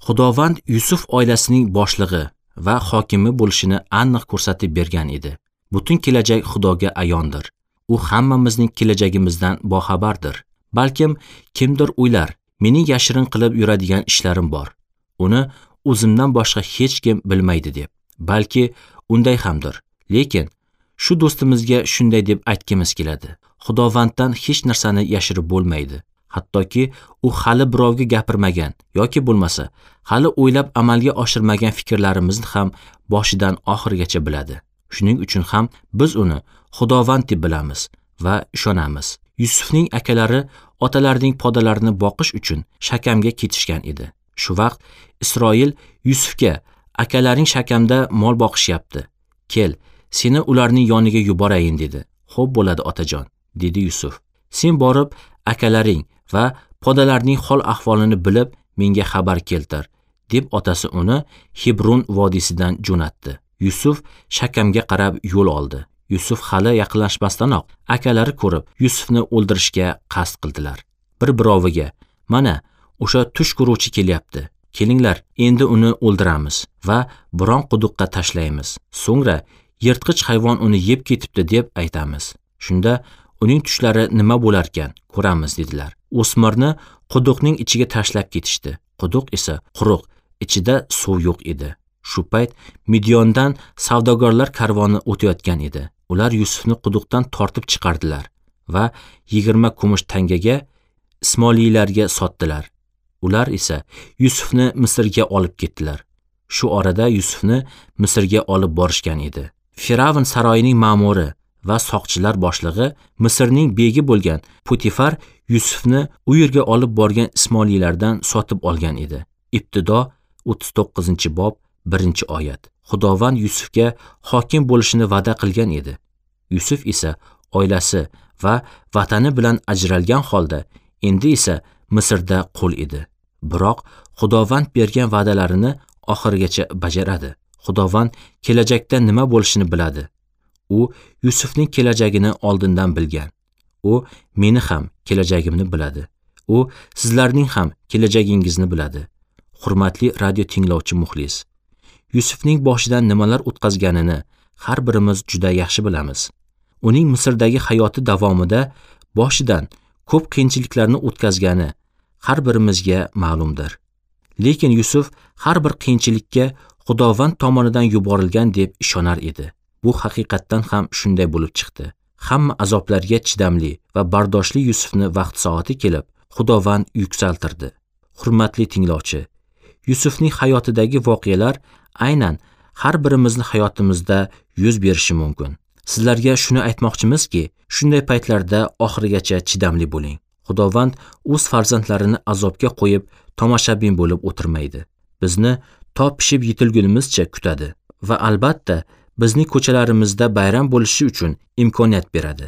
Xudovand Yusuf oilasining boshlig'i va hokimi bo'lishini aniq ko'rsatib bergan edi. Butun kelajak Xudoga ayondir. U hammamizning kelajagimizdan boxabardir. Balkim kimdir o'ylar, mening yashirin qilib yuradigan ishlarim bor. Uni o'zimdan boshqa hech kim bilmaydi deb. Balki unday hamdir. Lekin shu do'stimizga shunday deb aytgimiz keladi. Xudovanddan hech narsani yashirib bo'lmaydi. Hattoki u hali birovga gapirmagan yoki bo'lmasa, hali o'ylab amalga oshirmagan fikrlarimizni ham boshidan oxirigacha biladi. Shuning uchun ham biz uni Xudovand deb bilamiz va ishonamiz. Yusufning akalari otalarining podalarini boqish uchun Shakamga ketishgan edi. Shu vaqt Isroil Yusufga: "Akalaring Shakamda mol boqishyapti. Kel, seni ularning yoniga yuborayin" dedi. "Xo'p bo'ladi, otajon", dedi Yusuf. "Sen borib akalaring va podalarning hol ahvolini bilib menga xabar keltir", deb otasi uni Hebron vodiysidan jo'natdi. Yusuf Shakamga qarab yo'l oldi. Yusuf hali yaqinlashmasdanoq akalari ko'rib Yusufni o'ldirishga qasd qildilar. Bir-biroviga: "Mana, o'sha tush ko'ruvchi kelyapti. Kelinglar, endi uni o'ldiramiz va biron quduqqa tashlaymiz. So'ngra yirtqich hayvon uni yeb ketibdi deb aytamiz. Shunda uning tushlari nima bo'larkan, ko'ramiz" dedilar. O'smirni quduqning ichiga tashlab ketishdi. Quduq esa quruq, ichida suv yo'q edi. Shu payt Midyondan savdogarlar karvoni o'tayotgan edi. Ular Yusufni quduqdan tortib chiqardilar va 20 kumush tangaga Ismoiliylarga sotdilar. Ular esa Yusufni Misrga olib ketdilar. Shu orada Yusufni Misrga olib borishgan edi. Firavn saroyining ma'muri va soqchilar boshlig'i Misrning begi bo'lgan Potifar Yusufni u yerga olib borgan Ismoiliylardan sotib olgan edi. Ibtido 39-bob 1-oyat. Xudovand Yusufga hokim bo'lishini va'da qilgan edi. Yusuf esa oilasi va vatani bilan ajralgan holda endi esa Misrda qul edi. Biroq Xudovand bergan va'dalarini oxirigacha bajaradi. Xudovand kelajakda nima bo'lishini biladi. U Yusufning kelajagini oldindan bilgan. U meni ham kelajagimni biladi. U sizlarning ham kelajagingizni biladi. Hurmatli radio tinglovchi muxlis, Yusufning boshidan nimalar o'tkazganini har birimiz juda yaxshi bilamiz. Uning Misrdagi hayoti davomida boshidan ko'p qiyinchiliklarni o'tkazgani har birimizga ma'lumdir. Lekin Yusuf har bir qiyinchilikka Xudovand tomonidan yuborilgan deb ishonar edi. Bu haqiqatdan ham shunday bo'lib chiqdi. Hamma azoblarga chidamli va bardoshli Yusufni vaqt soati kelib Xudovand yuksaltirdi. Hurmatli tinglovchi, Yusufning hayotidagi voqealar aynan har birimizni hayotimizda yuz berishi mumkin. Sizlarga shuni aytmoqchimizki, shunday paytlarda oxirigacha chidamli bo'ling. Xudovand o'z farzandlarini azobga qo'yib tomoshabin bo'lib o'tirmaydi. Bizni to pishib yetilgunimizcha kutadi va albatta bizning ko'chalarimizda bayram bo'lishi uchun imkoniyat beradi.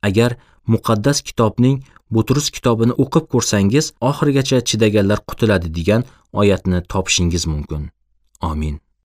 Agar muqaddas kitobning Butrus kitobini o'qib ko'rsangiz, oxirigacha chidaganlar qutuladi degan oyatni topishingiz mumkin. Amin.